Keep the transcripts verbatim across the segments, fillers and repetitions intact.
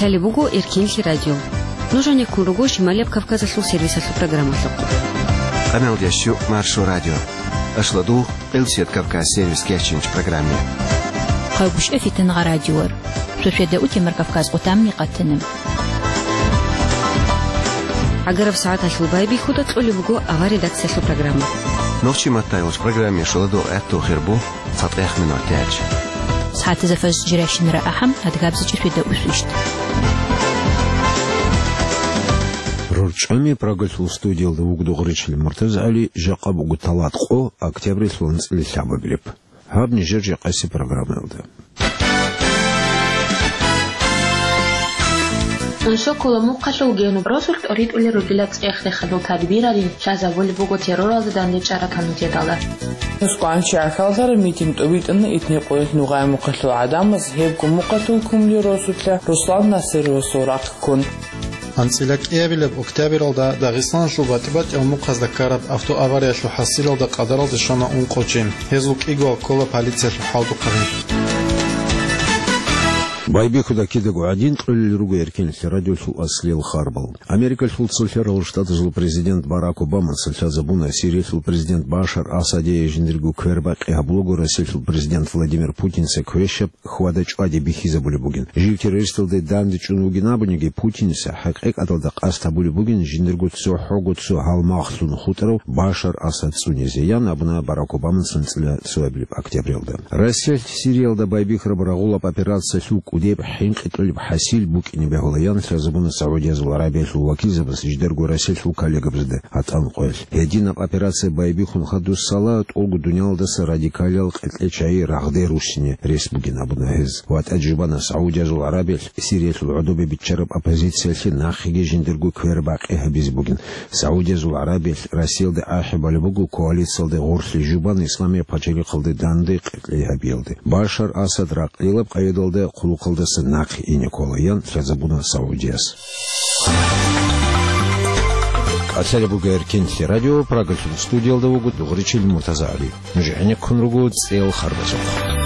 Лъалеб буго Эркинлъи радио. Нуж гьанеккун руго Шималияб Кавказалъул сервисалъул программалъухъ. Къаналдиясчу Маршо радио. Ашладу Элсият Кавказ сервис кечинч программе. Хъагушев Фитангъа радиор. Шошеда утемар Кавказ отамни къатанам. Агараб сагӀаталъул байбихьуда кьолеб буго авария дацлъалъул программа. Нохчи маттайулч программе шоладо гӀатту хирбу. ЦатӀех минут тяч. СагӀатазда фаз жиращинара ахӀам, адгабзичӀи феда усвищт. РорчӀами Прагалъул студиялда вугдугъричил МуртазгӀали, жакъа буго талат къо, октябрилъул анцӀила лъабабилеб. Гьаб нижер жакъаси программаялда. Унсокола мухъалъул генуб росулъ тӀоритӀулел ругила цӀех-рехалъул тадбиралин лъазабулеб буго терроралда дандечӀараб комитеталда. Москваялъ чагӀи хьалдара митинг тӀобитӀана Итни-Къоялъ Нугъай мухъалъул гӀадамаз, гьебго мухъалъул кумлил росулъа Руслан Насировасул рахъ ккун. АнцӀила кӀиабилеб октябралда Дагъистаналъул батӀи-батӀиял мухъазда ккараб автоавариялъул хӀасилалда къадаралде щвана ункъо чи. Гьезул кӀиго ккола полициялъул хӀалтӀухъаби. Байбихьуда кидаго гӀадин, кьолел руго Эркинлъи радиолъул аслиял харбал. Америкалъул Цолъарал Штатазул президент Барак Обамаца лъазабуна, Сириялъул президент Башар Асадие жиндирго квербакъи гьабулаго Россиялъул президент Владимир Путинца квешаб хьвада-чӀвади бихьизабулеб бугин. Жив террористалде данде чӀун вугин абуниги, Путинца хӀакъикъаталда къасд гьабулеб бугин жиндирго цохӀого цо гьалмагълъун хутӀарав Башар Асад цӀунизе, ян абуна Барак Обамаца анцӀила цоабилеб октябралда. Россиялъ Сириялда байбихьараб рагъулаб операциялъул кӀудеб хӀинкъи кьолеб хӀасил букӀине бегьула, ян лъазабуна СагӀудиязул ГӀарабиялъул вакилзабаз жидерго Россиялъул коллегабазда гьатӀан къоялъ. Гьединаб операция байбихьун хадусала тӀолго дуниялалдаса радикалиял кьекьечагӀи рагъде руссине рес бугин абуна гьез. ВатӀа жубана СагӀудиязул ГӀарабиялъ Сириялъул гӀодобе биччараб оппозициялъе нахъеги жиндирго квербакъи гьабизе бугин. СагӀудиязул ГӀарабиялъ Россиялде ахӀи балеб буго коалициялде гъорлъе жубан исламияб пачалихъалде данде кьекьей гьабиялде. Башар Асад ракълилаб къайдалда хъулухъалдаса нахъе ине ккола, ян лъазабуна СагӀудияс. КӀалъалеб буго Эркинлъи радио, Прагалъул студиялда вуго дугъричил МуртазагӀали. Нуж гӀенеккун руго цӀел харбазухъ.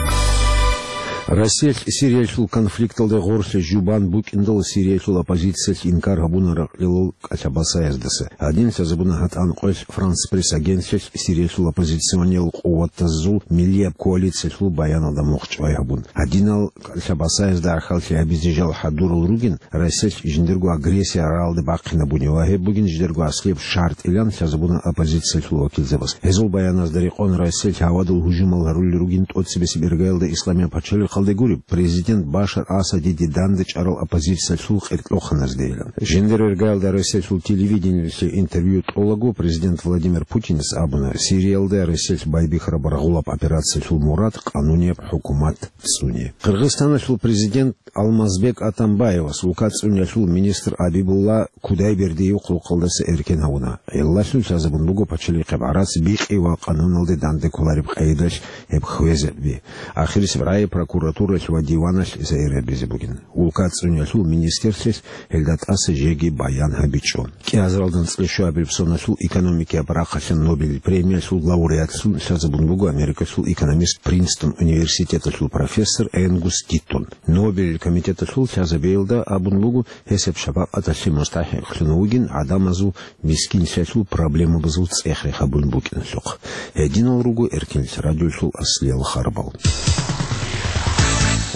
Россиялъ Сириялъул конфликталда гъорлъе жубан букӀиндал Сириялъул оппозициялъ инкар гьабуна ракълилал кӀалъабасаяздаса. Гьадин лъазабуна гьатӀан къоялъ Франс Пресс агентствоялъ Сириялъул оппозициониял къуватазул миллияб коалициялъул баяналда мухъчӀвай гьабун. Гьадинал кӀалъабасаязда гӀахьаллъи гьабизе жал хӀадурал ругин, Россиялъ жиндирго агрессия рагӀалде бахъинабуни ва гьеб бугин жидерго аслияб шартӀилан лъазабуна оппозициялъул вакилзабаз. Гьезул баяназда рекъон Россиялъ гьавадул гьужумал гьарулел ругин тӀоцебесеб иргаялда исламияб пачалихъалде гуреб, президент Башар Асадиде данде чӀарал оппозициялъул къеркьоханаздейилан. Жиндир иргаялда Россиялъул телевидениелъе интервью тӀолаго президент Владимир Путинас абуна, Сириялда Россиялъ байбихьараб рагъулаб операциялъул мурад къанунияб хӀукумат цӀуне. Къиргъизстаналъул президент Алмазбек Атамбаевас улка цӀуниялъул министр Абибулла Кудайбердиев хъулухъалдаса эркен гьавуна. Гьелалъул лъазабун буго пачалихъеб гӀарац бикъи ва къануналде данде кколареб къайдалъ гьеб хвезаби. Ахирисеб рагӀи прокуратуралъ ва диваналъ сайир гьабизе бугин. Улка цӀуниялъул министрлъилъ гьелда тӀаса жеги баян гьабичӀо. КӀиазаралда анцӀила щуабилеб соналъул экономикияб рахъалъан Нобель премиялъул лауреатлъун лъазабун буго Америкалъул экономист, Принстон университеталъул профессор Энгус Гиттон. Нобель комитеталъул лъазабиялда абун буго, гьесаб шапакъаталъе мустахӀикълъун вугин гӀадамазул мискинлъиялъул проблемабазул цӀех-рех гьабун букӀиналъухъ. Гьединал руго Эркинлъи радиолъул аслиял харбал.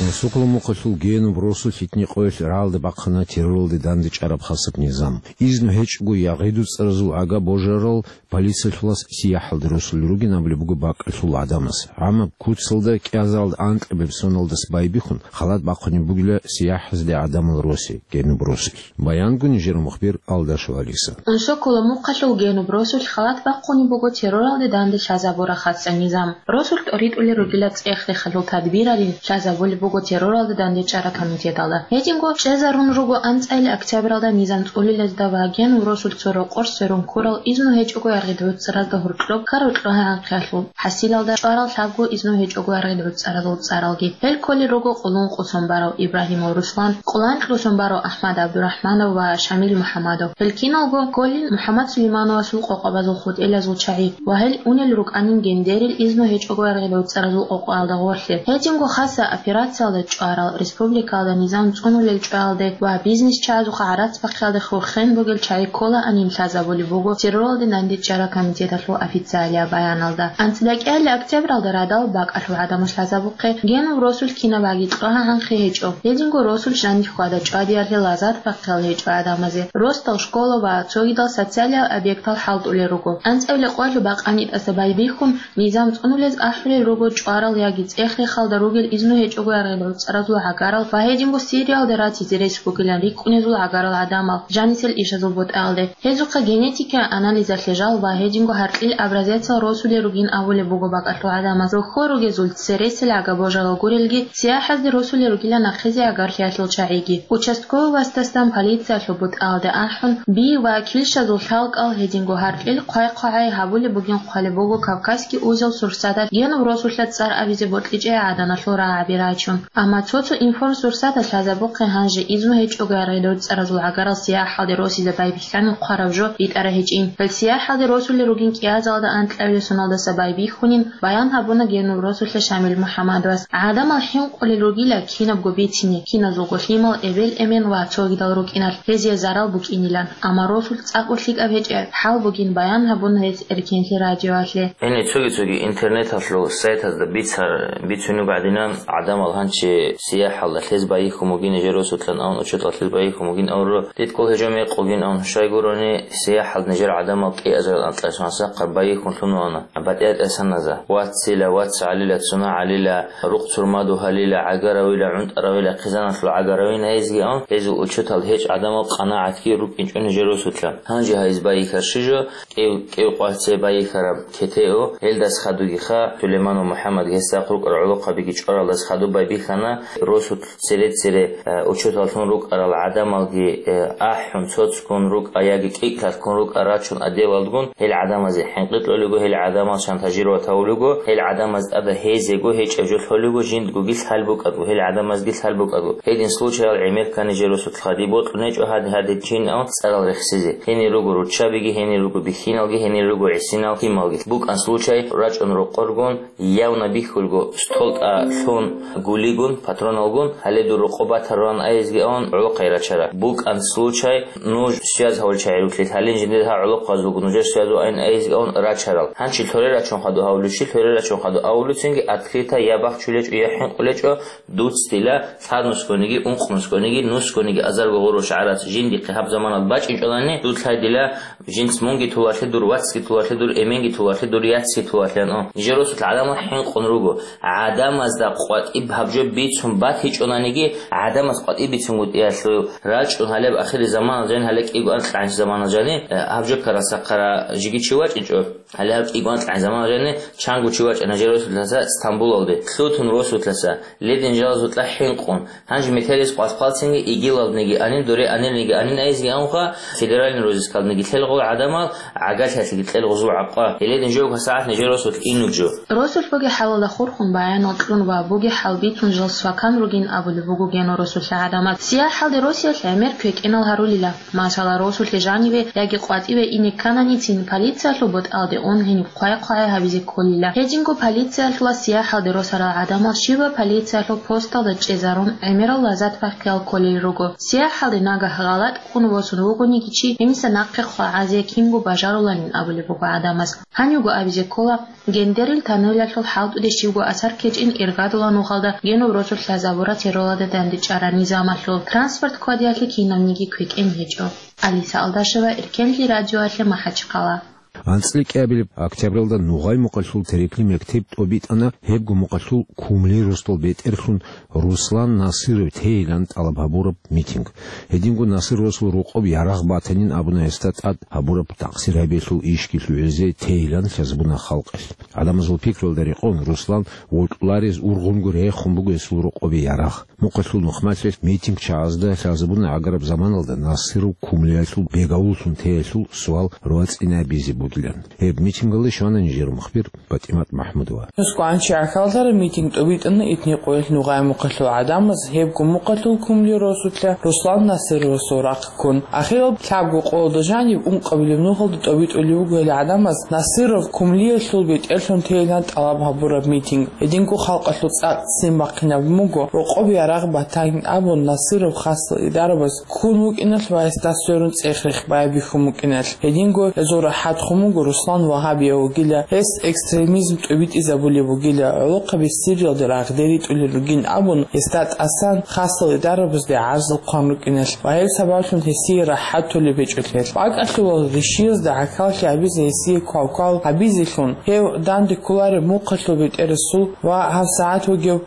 Унсокола мухъалъул Генуб росулъ Итни-Къоялъ рагӀалде бахъана терроралде данде чӀараб хасаб низам. Изну гьечӀого ягъи-дуцӀаразул ага божарал полициялъулас сияхӀалде росулел ругин абулеб буго бакӀалъул гӀадамаз. ГӀамаб куцалда кӀиазаралда анкьабилеб соналдаса байбихьун, халат бахъунеб бугила сияхӀазде гӀадамал росе, Генуб росулъ. Баянго нижер мухбир Алдашев Алиса. Унсокола мухъалъул Генуб росулъ халат бахъунеб буго терроралде данде лъазабураб хасаб низам. Росулъ тӀоритӀулел ругила цӀех-рехалъул тадбиралин лъазабулеб буго терроралда данде чӀараб комитеталда. Гьединго чӀезарун руго анцӀила октябралда низам цӀулилазда ва Генуб росулъ цо рокъор сверун ккурал изну гьечӀого ягъи-дуцӀаразда гьоркьоб ккарал кьогьа-анкьиялъул хӀасилалда чӀварал лъабго изну гьечӀого ягъи-дуцӀаразул цӀаралги. Гьел кколел руго Къулун Къусумбаров, Ибрагьимов Руслан, Къулан Кьусумбаров, Ахмад ГӀабдурахӀманов ва Шамил МухӀамадов. Гьел киналго кколел МухӀаммад Сулеймановасул къокъабазул хутӀилазул чагӀи ва гьел унел рукӀанин гьениб изну гьечӀого ягъи-дуцӀаразул къокъаялда гъорлъе. Гьединго хасаб операция Цалда чӀварал, республикалда низам цӀунулел чӀваялде ва бизнесчагӀазухъа гӀарац бахъиялде хурхен бугел чагӀи кколаанин лъазабулеб буго терроралде дандечӀараб комитеталъул официалияб баяналда. АнцӀила кӀиабилеб октябралда радал бакӀалъул гӀадамаз лъазабухъе генул росулъ кинаб гӀаги кьогьагӀанхъе гьечӀо. Гьединго росулъ жаниб хьвада-чӀвадиялъе лазар бахъиялде гьечӀо гӀадамазе. Росдал школа ва цогидал социалияб объектал хӀалтӀулел руго. АнцӀила къоялъул бакъанитӀаса байбихьун, низам цӀунулез ахӀулел руго чӀварал яги цӀех-рехалда ругел изну гьечӀого яргъел рукъцӀаразул гӀагарал ва гьединго Сириялде ратизе рес бугилан рикӀкӀунезул гӀагарал гӀадамал жанисел ишазул бутӀаялде. Гьезухъа генетикиял анализалъе жал ва гьединго гьаркьил образецал росулел ругин абулеб буго бакӀалъул гӀадамаз. Рохьо ругезул цересел гӀага-божарал гурелги, сияхӀазде росулел ругила нахъезе агарлъиялъул чагӀиги. Участковый васдасан полициялъул бутӀаялде ахӀун, би ва килщазул лъалкӀал гьединго гьаркьил хъвай-хъвагӀай гьабулеб бугин хъвалеб буго Кавказский узел сурсаталъ генул росулъа цӀар абизе бокьичӀеб гӀаданалъул рагӀаби рачун. Амма цо-цо информсурсаталъ лъазабухъе гьанже изну гьечӀого яргъел рукъцӀаразул гӀагарал сияхӀалде росизе байбихьанин хъвараб жо битӀараб гьечӀин. Гьел сияхӀалде росулел ругин кӀиазалда анкьабилеб соналдаса байбихьунин баян гьабуна генул росулъа Шамил МухӀаммадовас. ГӀадамал хӀинкъулел ругила кинабго бицине, киназулго лъимал, эбел-эмен ва цогидал рукӀиналъ, гьезие зарал букӀинилан. Амма росулъ цӀакъго лъикӀаб гьечӀеб хӀал бугин баян гьабуна гьес Эркенлъи радиоялъе. Гьениб цоги-цоги интернеталъул сайтазда бицар-, бицунеб гӀадинан, гӀадамал гьанчи сияхӀалда лъез байихьун бугин нижер росулъан авун, учетал лъез байихьун бугин авро, дидкол гьечӀо мекъугин авун, щайгурони сияхӀалда нижер гӀадамал кӀиазарал анкьабилеб соналдаса хъван байихьун лъун вана. БатӀиятӀасаназа, вацила, вацгӀалила, цунагӀалила, рухъ-цурмаду гьалила, гӀагаравила, гӀунтӀаравила, хъизаналъул гӀагаравин гьезги авун, гьезул учетал гьечӀ гӀадамал къанагӀатги рукӀинчӀо нижер росулъа. Гьанже гьайз байихьа щижо, кӀев, кӀев къварцей байихьараб кетео, гьелдас хадугиха, Сулейманов МухӀаммад гьесда рукӀарал гӀолохъабиги чӀоралдас хадуб байбихьана, росулъ цере-цере, э, учеталлъун рукӀарал гӀадамалги, э, ахӀун, цоцкун рукӀа яги кӀикӀлъалъккун рукӀа рачун отделалдгун, гьел гӀадамазе хӀинкъи кьолего, гьел гӀадамал шантажировать гьавулего, гьел гӀадамаз тӀада гьезего гьечӀеб жо лъолего, жиндгоги лъал букӀаго, гьел гӀадамазги лъал букӀаго. Гьедин случаял гӀемер ккани нижер росулъ хадуб бокьун гьечӀо, гьади-гьадин чин авун цӀарал рехсизе. Гьенир руго руччабиги, гьенир руго бихьиналги, гьенир руго гӀисинал лъималги. БукӀан случай рачӀун рокъоргун, явна бихьулго, столтӀа лъун гулигун, патроналгун, гьале дур рокъоб батарулан айизги авун гӀолохъай рачара. БукӀан случай, нуж связь гьавулел чагӀи руклъи, гьалин жиндир гьа гӀолохъазулго нужер связь вугин айизги авун рачарал. Гьанчи лъоре рачун хадуб гьавулев чи, лъоре рачун хадуб авулевцинги открыто я бахчулечӀо, я хӀинкъулечӀо, дуц дила лъабнусгониги, ункънусгониги, нусгониги азарго гъурущ гӀарац жиндихъе гьаб заманалда бачӀинчӀолани, дуц лъай дила Жинц мунги тулалъе дур, вацги тулалъе дур, эменги тулалъе дур, яцги тулалъе, ну. Нижер росулъ гӀадамал хӀинкъун руго. ГӀадамазда къватӀиб гьаб жо бицун батичӀонаниги, гӀадамаз къватӀиб бицунгутӀиялъул рачӀун гьалеб ахири заманалда жани, гьале кӀиго анкьгӀанчи заманалда жани, э, гьаб жо ккарасахъара жиги чи вачӀинчӀо. Гьале гьаб кӀиго анкьгӀанчи заманалда жани чанго чи вачӀана нижер росулъаса Стамбулалде. Лъутун росулъаса, ледин жалазукьа хӀинкъун. Гьанже метерис къвалъ-хъвалцинги игилалдниги анин, дуре анилниги анин айизги авунха, федеральный розыскалдниги лъелгъул гӀадамал, гӀагарлъиялъеги кьелгъузул гӀакъа. Гьеледин жо гьасагӀат нижер росулъ инуджо. Росулъ бугеб хӀалалда хурхун баянал кьун ва бугеб хӀал бицун жал свакан ругин абулеб буго генул росулъа гӀадамал. СияхӀалде росиялъ гӀемер квекӀинал гьарулила. Масала, росулъе жаниве яги къватӀиве ине ккананицин, полициялъул бутӀалде ун гьениб хъвай-хъвагӀай гьабизе кколила. Гьединго полициялъула сияхӀалде росарал гӀадамал щибаб полициялъул посталда чӀезарун гӀемерал лазат бахъиялъ кколел руго. СияхӀалде нагагь гъалатӀ ккун восун вугониги чи, гьениса нахъе хъвагӀазе кинго бажаруланин абулеб буго гӀадамаз. Гьанивго абизе ккола, Гендерил тануялъул хӀалтӀуде щибго асар ккечӀин иргадула нухалда генул росулъ лъазабураб терроралда дандечӀараб низамалъул. Транспорт кквадиялъе кинабниги квекӀин гьечӀо. Алиса Алдашева, Эркенлъи радиоялъе, МахӀачхъала. АнцӀила кӀиабилеб октябралда Нугъай мукъалъул Терекли мектеб тӀобитӀана, гьебго мукъалъул Кумли росдал бетӀерлъун Руслан Насиров тейилан тӀалаб гьабураб митинг. Гьединго Насировасул рокъоб ярагъ батанин абуна гьесда тӀад гьабураб такъсир гьабиялъул ишги лъугӀизе тейилан лъазабуна халкъалъ. ГӀадамазул пикруялда рекъон, Руслан вокьуларез ургъунго рехун буго гьесул рокъобе ярагъ. Мукъалъул нухмалъилъ митингчагӀазда лъазабуна гӀагараб заманалда Насиров Кумлиялъул бегавуллъун теялъул суал рвацӀцӀинабизе бугеб. бугилан. Гьеб митингали щвана нижер мухбир ПатӀимат МахӀмудова. Нусгуанчи гӀахьаллъараб митинг тӀубитӀана итни къоялъ нугъай мухъалъул гӀадамаз, гьебго мухъалъул кумли росулъа Руслан Насыровасул рахъ ккун. Ахирал лъабго къоялда жаниб ункъабилеб нухалда тӀубитӀулев вуго гьел гӀадамаз Насыров кумлиялъул бетӀерлъун тейилан тӀалаб гьабураб митинг. Гьединго халкъалъул цӀакъ ццин бахъинаб буго, рокъоб ярагъ батанин абун, Насыров хасал идарабаз ккун вукӀиналъ ва гьесда сверун цӀех-рех байбихьун букӀиналъ. Гьединго гьезул рахӀат хун буго Руслан вагьабияв вугила, гьес экстремизм тӀубитӀизабулеб бугила, гӀолохъаби Сириялде рагъде ритӀулел ругин абун, гьесда тӀасан хасал идарабазде гӀарзал хъван рукӀиналъ ва гьеб сабаблъун гьесие рахӀат толеб гьечӀолъиялъ. БакӀалъувал ришиязда гӀахьаллъи гьабизе гьесие квалквал гьабизелъун, гьев данде кколареб мухъалъул бетӀерасул ва гьабсагӀат вугев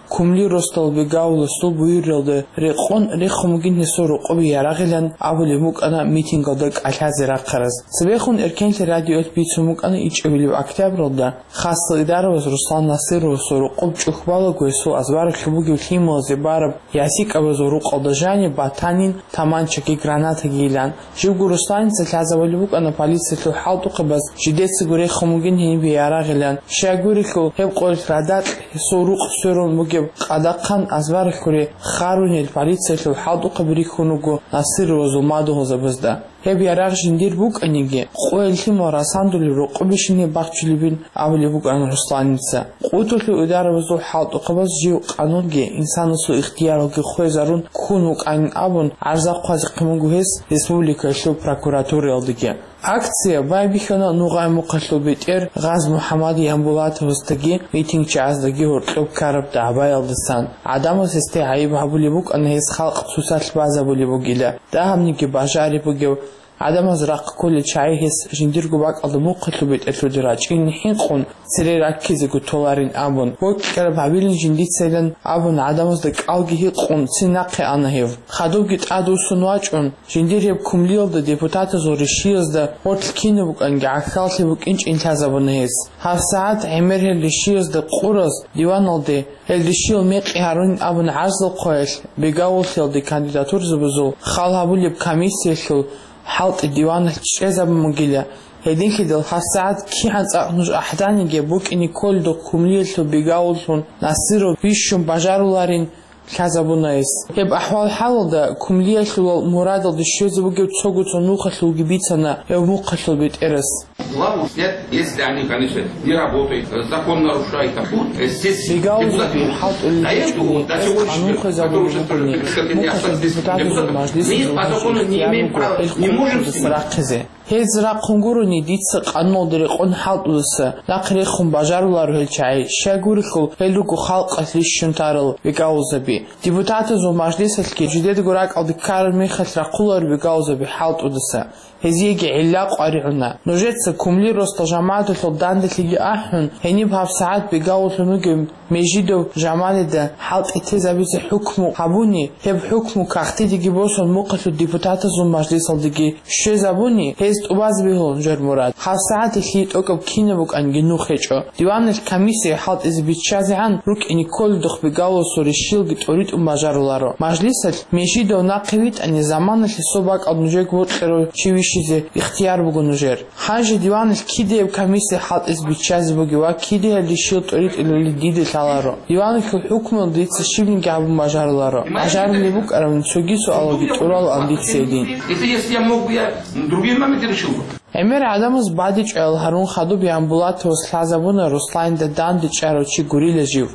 кумли росдал бегавуласул буюралда рекъон рехун бугин гьесул рокъоби ярагъилан абулеб букӀана митингалда кӀалъазе рахъараз. Цебехун Эркенлъи радиоялъ бицун букӀана ичӀабилеб октябралда хасал идарабаз Руслан Насыровасул рокъоб чӀухь балаго гьесул азбаралъуб бугеб лъималазе бараб ясикӀабазул рукъалда жаниб батанин таманчаги гранатаги йилан. Живго Русланица лъазабулеб букӀана полициялъул хӀалтӀухъабаз жидецаго рехун бугин гьенибе ярагъилан. Щайгурелъул гьеб къоялъ радакь гьесул рукъ сверун бугеб къадахъан азбаралъуре харунел полициялъул хӀалтӀухъаби рихьун руго Насыровазул мадугьалзабазда. Гьеб ярагъ жиндир букӀаниги, къоялъ лъимал расандулеб рокъобищине бахчулебин абулеб букӀана Русланица. КъутӀулъул идарабазул хӀалтӀухъабаз жив къанунги инсанасул ихтияралги хвезарун ккун вукӀанин абун гӀарза хъвазехъин буго гьес республикаялъул прокуратураялдеги. Акция байбихьана нугъай мухъалъул бетӀер Гъаз МухӀаммад Ямбулатовасдаги митингчияздаги гьоркьоб ккараб дагӀбаялдасан. ГӀадамаз гьесде гӀайиб гьабулеб букӀана гьес халкъ цоцалъ базабулеб бугила. Дагьабниги бажариб бугев, гӀадамаз рахъ кколел чагӀи гьес жиндирго бакӀалда мухъалъул бетӀерлъуде рачӀин хӀинкъун, цере раккизего толарин абун, бокьараб гьабилин жиндицайилан абун гӀадамазда кӀалги гьикъун цин нахъе ана гьев. Хадубги тӀадвуссун вачӀун, жиндир гьеб кумлиялда депутатазул ришиязда гъорлъ кинаб букӀанги гӀахьаллъи букӀинчӀин лъазабуна гьес. ГьабсагӀат гӀемер гьел ришиязда къураз диваналде гьел ришиял мекъи гьарунин абун гӀарзал хъваялъ, бегавуллъиялде кандидатурзабазул хал гьабулеб комиссиялъул хӀалтӀи диваналъ чӀезабун бугила. Гьединлъидал гьабсагӀат кигӀан цӀакъ нуж ахӀданиги букӀине кколедухъ кумлиялъул бегавуллъун Насыров бищун бажаруларин лъазабуна гьес. Гьеб ахӀвал-хӀалалда кумлиялъулал мурадалде щвезе бугеб цого-цо нухалъулги бицана гьев мухъалъул бетӀерас. Главу снять, если они, конечно, не работают, закон нарушают, там, э, здесь депутат не может. До этого, до сегодняшнего, который уже скажу, перед несколькими дня осталось здесь депутат, мы по закону не имеем права, не можем с ними. Гьез рахъун гурони, дица къануналда рекъон хӀалтӀудаса нахъ рехун бажаруларо гьел чагӀи, щайгурелъул гьел руго халкъалъ рищун тарал бегавулзаби. Депутатазул мажлисалъги жидедаго ракӀалде ккараб мехалъ рахъуларо бегавулзаби хӀалтӀудаса. Гьезиеги гӀилла къваригӀуна. Нужеца кумли росдал жамагӀаталъул данделъиги ахӀун, гьениб гьабсагӀат бегавуллъун вугев Межидов Жамалида хӀалтӀи тезабизе хӀукму гьабуни, гьеб хӀукму кагътидеги босун мухъалъул депутатазул мажлисалдеги щвезабуни, гьез тӀубазе бегьуларо нужер мурад. ГьабсагӀат лъие тӀокӀаб кинаб букӀанги нух гьечӀо. Диваналъ комиссия хӀалтӀизе биччазегӀан рукӀине кколедухъ бегавуласул ришиялги тӀоритӀун бажаруларо. Мажлисалъ Межидов нахъе витӀани, заманалъе цо бакӀал нужеего вокьарав чи вищизе ихтияр буго нужер. Гьанже диваналъ кидаяб комиссия хӀалтӀизе биччазе бугев ва кидаялъ ришиял тӀоритӀулелин дида лъаларо. Диваналъул хӀукмуялда дица щибниги гьабун бажаруларо. Бажарулеб букӀаравни цоги суалалги тӀуралаан дица гьедин. Это если я мог бы, я другие моменты решил бы. ГӀемер гӀадамаз бадибчӀваял гьарун хадуб Ямбулатовас лъазабуна Русланида данде чӀарав чи гурила жив.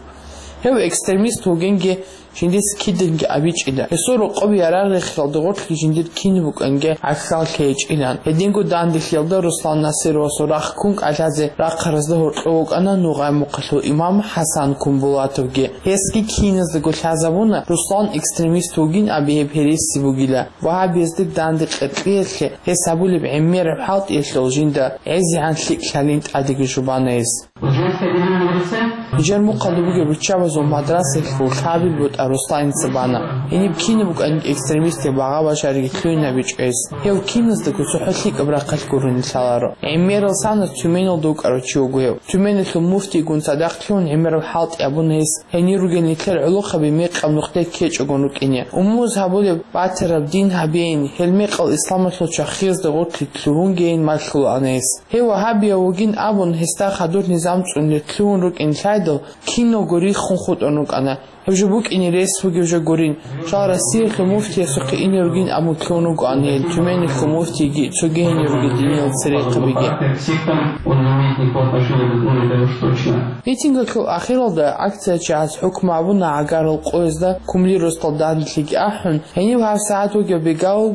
Гьев экстремист вугинги жиндица киданги абичӀила. Гьесул рокъоб ярагъ рехиялда гъорлъ жиндир кинаб букӀанги гӀахьаллъи гьечӀилан. Гьединго данделъиялда Руслан Насыровасул рахъ ккун кӀалъазе рахъаразда гьоркьов вукӀана нугъай мухъалъул имам ХӀасан Кумбулатовги. Гьесги киназдаго лъазабуна Руслан экстремист вугин аби гьеб гьереси бугила. Вагьабиязде данде къеркьиялъе гьес гьабулеб гӀемераб хӀалтӀиялъул жинда гӀезегӀан лъикӀ лъалин тӀадеги жубана гьес. Пожалуйста, Динан Мурса. Нижер мухъалда бугеб руччабазул мадрасаялъул лъабил бутӀа Русланица бана. Гьениб кинаб букӀанин экстремистиял багъа-бажариги лъугьинабичӀо гьес. Гьев киназдаго цохӀо лъикӀаб рахъалъ гурони лъаларо. ГӀемерал санас Тюменалда вукӀарав чи вуго гьев. Тюменалъул муфтийгун цадахъ лъугьун гӀемерал хӀалтӀи абуна гьес, гьенир ругел нилъер гӀолохъаби мекъаб нухде ккечӀого рукӀине. Умумуз гьабулеб батараб дин гьабейин, гьел мекъал исламалъул чвахиязда гъорлъ лъугьунгейин малъулаан гьес. Гьев вагьабияв вугин абун, гьесда хадур низам цӀунлъи лъугьун рукӀин лъайдал, киналго риххун хутӀун рукӀана. Гьеб жо букӀине рес бугеб жо гурин. Жал Россиялъул муфтиясухъе ине ругин абун лъугьун ругоан гьел, Тюменалъул муфтийги цоги гьенир ругел диниял церехъабиги. Митингалъул ахиралда акциячагӀаз хӀукму абуна гӀагарал къоязда кумли росдал данделъиги ахӀун, гьенив гьабсагӀат вугев Бегал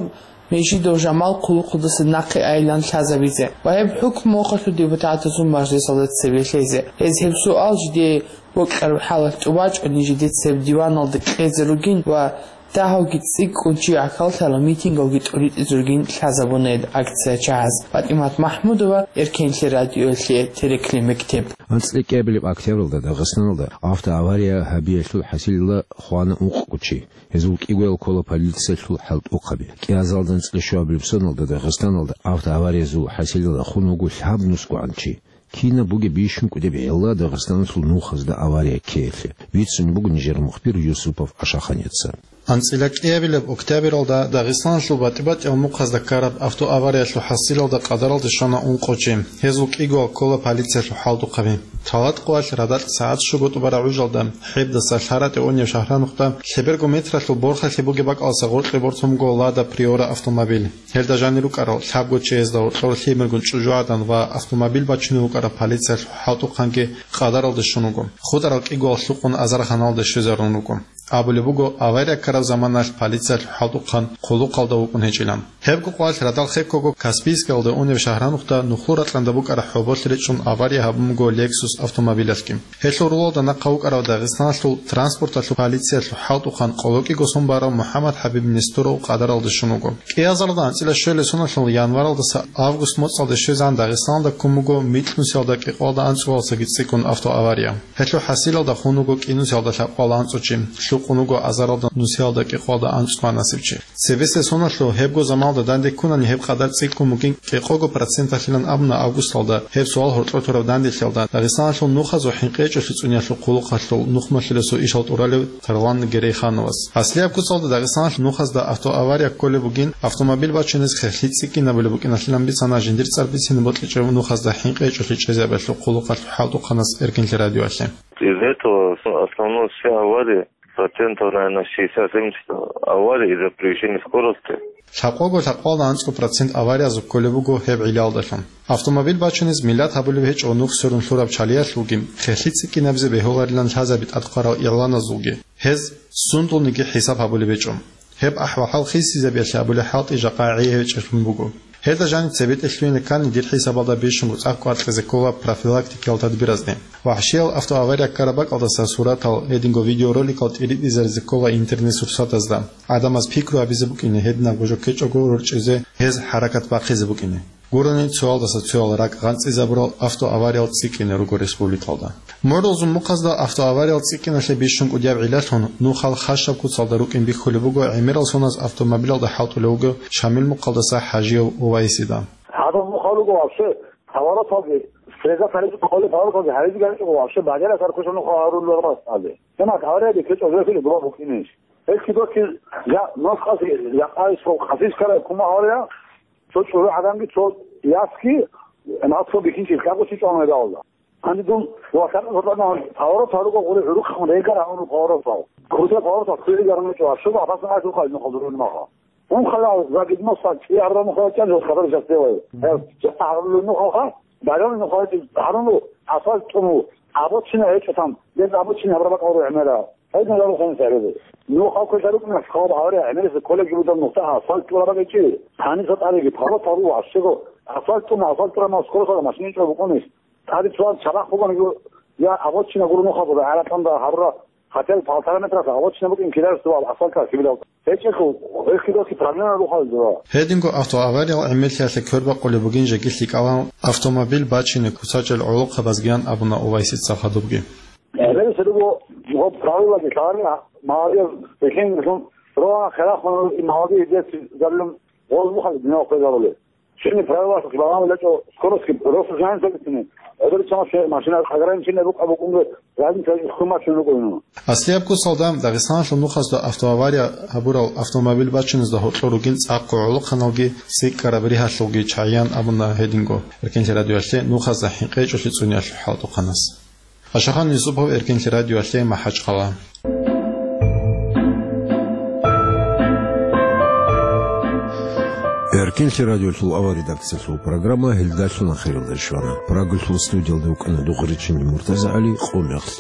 Межидов Жамал хъулухъалдаса нахъе айилан лъазабизе ва гьеб хӀукму мухъалъул депутатазул мажлисалда цебе лъезе. Гьез гьеб суал жидее бокьараб хӀалалъ тӀубачӀони жиде цеб диваналда кьезе ругин ва дагьавги цӀикӀкӀун чи гӀахьаллъарал митингалги тӀуритӀизе ругин лъазабуна гьел акциячагӀаз. ПатӀимат МахӀмудова, Эркенлъи радиоялъе, Терекли мектеб. АнцӀила кӀиабилеб октябралда Дагъистаналда автоавария гьабиялъул хӀасилалда хвана ункъго чи. Гьезул кӀигоял ккола полициялъул хӀалтӀухъаби. КӀиазалда анцӀила щуабилеб соналда Дагъистаналда автоавариязул хӀасилалда хун вуго лъабнусгогӀан чи. Кинаб бугеб бищун кӀудеб гӀилла Дагъистаналъул нухазда авария ккеялъе, бицун буго нижер мухбир Юсупов Ашаханица. АнцӀила кӀиабилеб октябралда Дагъистаналъул батӀи-батӀиял мухъазда ккараб автоавариялъул хӀасилалда къадаралде щвана ункъо чи. Гьезул кӀигоял ккола полициялъул хӀалтӀухъаби. Талат къоялъ радакь сагӀат щуго тӀубараб гӀужалда, ХӀебдаса ЛъаратӀе унев шагьранухъда, лъеберго метралъул борхалъи бугеб бакӀалдаса гъоркье бортун буго Лада Приора автомобиль. Гьелда жанир рукӀарал лъабго чиясда гьоркьор лъимергун чӀужугӀадан ва автомобиль бачунев вукӀарав полициялъул хӀалтӀухъанги къадаралде щун вуго. ХутӀарал кӀигоял лъукъун азарханалде щвезарун руго. Абулеб буго, авария ккараб заманалъ полициялъул хӀалтӀухъан хъулухъалда вукӀун гьечӀилан. Гьебго къоялъ радал хеккого Каспийскалда унев шагьранухъда нухлу ракьанда букӀараб хӀоболъи речӀчӀун авария гьабун буго Lexus автомобилялъги. Гьелъул рулалда нахъа вукӀарав Дагъистаналъул транспорталъул полициялъул хӀалтӀухъан къоло кӀиго сон барав МухӀаммад ХӀабиб Несторов къадаралде щун вуго. КӀиазарда анцӀила щуялъе соналъул январалдаса август моцӀалде щвезегӀан Дагъистаналда ккун буго микьнусиялда кӀикъоялда анцӀцӀулалдасаги цӀикӀкӀун автоавария. Гьелъул хӀасилалда хун вуго кӀинусиялда лъабкъоялда анцӀцӀул чи, лъукъун вуго азаралда нусиялда кӀикъоялда анцӀцӀул гьанасев чи. Цебесеб соналъул гьебго заманалда данде ккунани гьеб къадар цӀикӀкӀун бугин кӀикъого проценталъилан абуна августалда гьеб суал гьоркьор тураб данделъиялда Дагъистаналъул нухазул хӀинкъи гьечӀолъи цӀуниялъул хъулухъалъул нухмалъулесул ишал тӀуралев Тарлан Герейхановас. Аслияб куцалда Дагъистаналъул нухазда автоавария кколеб бугин, автомобиль бачунез хехлъи цӀикӀкӀинабулеб букӀиналъилан бицана жиндир цӀар бицине бокьичӀеб нухазда хӀинкъи гьечӀолъи чӀезабиялъул хъулухъалъул хӀалтӀухъанас Эркинлъи радиоялъе. Из этого основное все аварии, процентов, наверное, шестьдесят-семьдесят аварий из-за превышения скорости. Лъабкъого-лъабкъоялда анцӀго процент авариязул кколеб буго гьеб гӀиллалдалъун. Автомобиль бачунез миллат гьабулеб гьечӀо нух сверун лъураб чалиялъулги, хехлъи цӀикӀкӀинабизе бегьуларилан лъазаби тӀадкъварал игъланазулги. Гьез сундулниги хӀисаб гьабулеб гьечӀо. Гьеб ахӀвал-хӀал хисизабиялъе абулеб хӀалтӀи жакъа гӀей гьечӀелъун буго. Гьелда жаниб цебетӀе лъугьине ккани дир хӀисабалда бищунго цӀакъ кӀвар кьезе ккола профилактикиял тадбиразде. ВахӀщиял автоавария ккараб бакӀалдаса суратал, гьединго видеороликал тӀиритӀизаризе ккола интернет-сурсатазда. ГӀадамаз пикру гьабизе букӀине, гьединабго жо ккечӀого рорчӀизе гьез хӀаракат бахъизе букӀине. Гурони цоялдаса цоял ракӀ гъанцӀизабурал автоавариял цӀикӀкӀине руго республикалда. МугӀрулзул мухъазда автоавариял цӀикӀкӀиналъе бищун кӀудияб гӀиллалъун нухал хашаб куцалда рукӀин бихьулеб буго гӀемерал соназ автомобилалда хӀалтӀулев вугев Шамил мухъалдаса ХӀажиев Увайсида. Гьадаб нухал руго вообще повороталги, среза тарихӀ къолеб повороталги гьаризе гьанчӀого вообще бадера саркуса нухал гьарулел рас гьазе. Гьаниб аварияде кечӀо вехиле дуба букӀинищ? Гьелъги дохъи я нухъазе, я къайсо къасис ккарай кума гьария, цо чӀужугӀаданги цо ясги, нацлъун бихьинчи лъабго чи чӀван гьеб гьалда. Гьанже дун ва лъабго гьоркьода поворот гьаруго гъури гӀурухъ регар гьавун поворотал. Крутая поворотал хъули гарун гьечӀо, ва щуго гьабасан гьачӀухъа нухал дурун маха. Унхъала загидмаса чӀи гьарун нухал чӀан жо хабар жас делай. Гьев жас гьарун нухалха, байрам нухал гьарун асфальт тӀуму, обочина гьечӀо там, дез обочина гьабрабакъ гьару гӀемера. Гьедин гьарухъан сагӀиде. Нухал квеша рукӀуна хъал гьавре гӀемерисеб коллеги будан нухда асфальт тӀура бакӀичӀи. Гьаниса тӀареги палатал ващего асфальт тӀуна, асфальт тӀура мал скоростала машин чӀо букӀунищ. ТӀаде цоял чарахъ бугониги, я обочина гуро нухал бура, гӀаракьанда гьарура, хотя бы полтора метраса обочина букӀин кидаристувал асфальтал хибилал. ГьечӀелъул гьелъидалъи проблема рухъал дура. Гьединго автоавариялъ гӀемерлъиялъе квербакъулеб бугин жеги лъикӀалан автомобиль бачине куцачӀел гӀолохъабазгиян абуна Увайсица хадубги. Гьеле цебего гъоб правилаги лъаларила, магьадияб бихьинлъун, рогьан херахъун и магьади гьединлъидаллун гъозбухъал динал хвезабулеб. Щибни правилалъухъ лагъан лечӀо скоростги просто жан сабитни. ГӀодор чамас машина ограничение букӀа букӀунго, разница хъумачун рукӀуну. Аслияб кусалда Дагъистаналъул нухазда автоавария гьабурал автомобиль бачиназда гьоркьор ругин цӀакъго гӀолохъаналги, сикӀкӀараб ригьалъулги чагӀиян абуна гьединго. Эркенлъи радиоялъе нухазда хӀинкъичӀолъи цӀуниялъул хӀалтӀухъанас. Ашахан Юсупов, Эркенлъи радиоялъе, МахӀачхъала. Эркенлъи радиолъул авал редакциялъул программа гьелдалъун ахиралде щвана. Прагалъул студиялда вукӀана Духъричинги МуртазагӀали, къуллахълъи.